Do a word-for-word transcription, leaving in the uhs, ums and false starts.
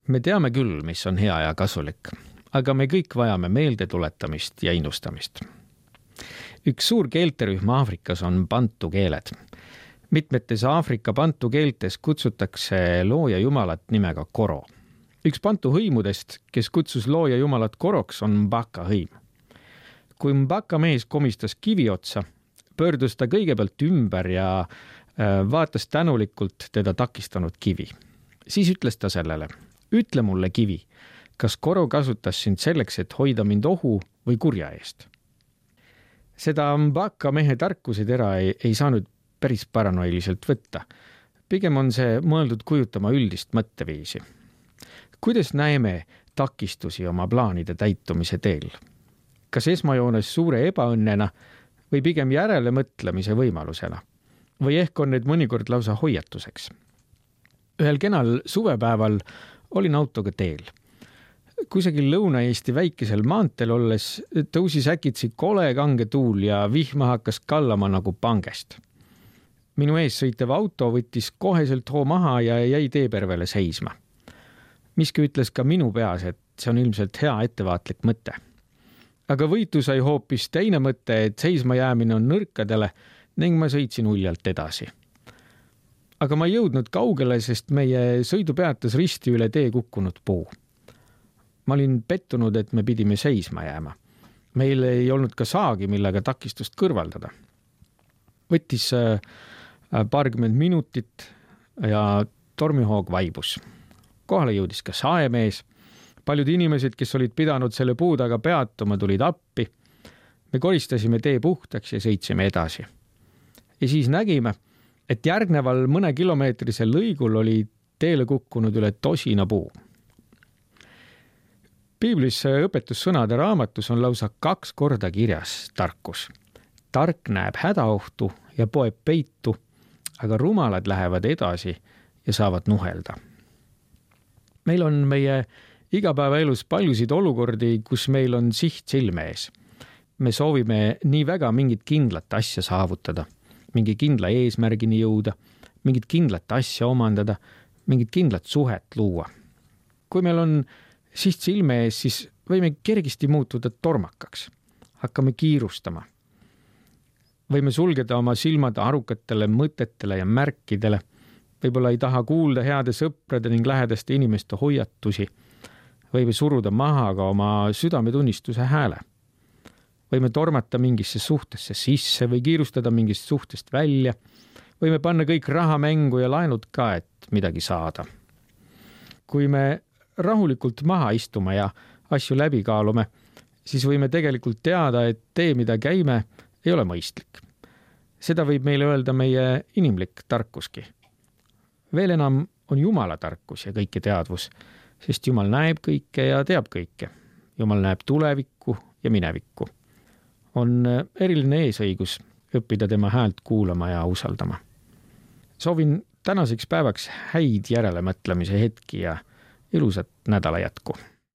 Me teame küll, mis on hea ja kasulik, aga me kõik vajame meelde tuletamist ja innustamist. Üks suur keelterühm Aafrikas on bantu keeled. Mitmetes Aafrika bantu keeltes kutsutakse looja jumalat nimega Koro. Üks bantu hõimudest, kes kutsus looja jumalat Koroks, on Mbaka hõim. Kui Mbaka mees komistas kivi otsa, pöördus ta kõigepealt ümber ja vaatas tänulikult teda takistanud kivi. Siis ütles ta sellele: ütle mulle, kivi, kas Koro kasutas sind selleks, et hoida mind ohu või kurja eest? Seda Mbaka mehe tarkusetera ei, ei saanud päris paranoiliselt võtta. Pigem on see mõeldud kujutama üldist mõtteviisi. Kuidas näeme takistusi oma plaanide täitumise teel? Kas esmajoones suure ebaõnnena või pigem järele mõtlemise võimalusena? Või ehk on need mõnikord lausa hoiatuseks? Ühel kenal suvepäeval olin autoga teel. Kusagil Lõuna-Eesti väikesel maanteel olles tõusis äkitsi kole kange tuul ja vihma hakkas kallama nagu pangest. Minu ees sõitev auto võttis koheselt hoo maha ja jäi teepervele seisma. Miski ütles ka minu peas, et see on ilmselt hea ettevaatlik mõte. Aga võitu sai hoopis teine mõte, et seisma jäämine on nõrkadele ning ma sõitsin uljalt edasi. Aga ma ei jõudnud kaugele, sest meie sõidu peatas risti üle tee kukkunud puu. Ma olin pettunud, et me pidime seisma jääma. Meil ei olnud ka saagi, millega takistust kõrvaldada. Võttis paarkümmend minutit ja tormihoog vaibus. Kohale jõudis ka saemees. Paljud inimesed, kes olid pidanud selle puu taga peatuma, tulid appi. Me koristasime tee puhtaks ja sõitsime edasi. Ja siis nägime, et järgneval mõne kilomeetrisel lõigul oli teele kukkunud üle tosina puu. Piiblis õpetussõnade raamatus on lausa kaks korda kirjas tarkus. Tark näeb hädaohtu ja poeb peitu, aga rumalad lähevad edasi ja saavad nuhelda. Meil on meie igapäevaelus paljusid olukordi, kus meil on siht silme ees. Me soovime nii väga mingit kindlat asja saavutada, mingi kindla eesmärgini jõuda, mingit kindlat asja omandada, mingit kindlat suhet luua. Kui meil on siht silme ees, siis võime kergisti muutuda tormakaks. Hakkame kiirustama. Võime sulgeda oma silmad arukatele mõtetele ja märkidele. Võib-olla ei taha kuulda heade sõprade ning lähedaste inimeste hoiatusi. Võime suruda maha ka oma südametunnistuse hääle. Võime tormata mingisse suhtesse sisse või kiirustada mingist suhtest välja. Võime panna kõik raha mängu ja laenud ka, et midagi saada. Kui me rahulikult maha istuma ja asju läbi kaalume, siis võime tegelikult teada, et tee, mida käime, ei ole mõistlik. Seda võib meile öelda meie inimlik tarkuski. Veel enam on Jumala tarkus ja kõike teadvus, sest Jumal näeb kõike ja teab kõike. Jumal näeb tulevikku ja minevikku. On eriline eesõigus õppida tema häält kuulama ja usaldama. Soovin tänaseks päevaks häid järelemõtlemise hetki ja ilusat nädala jätku.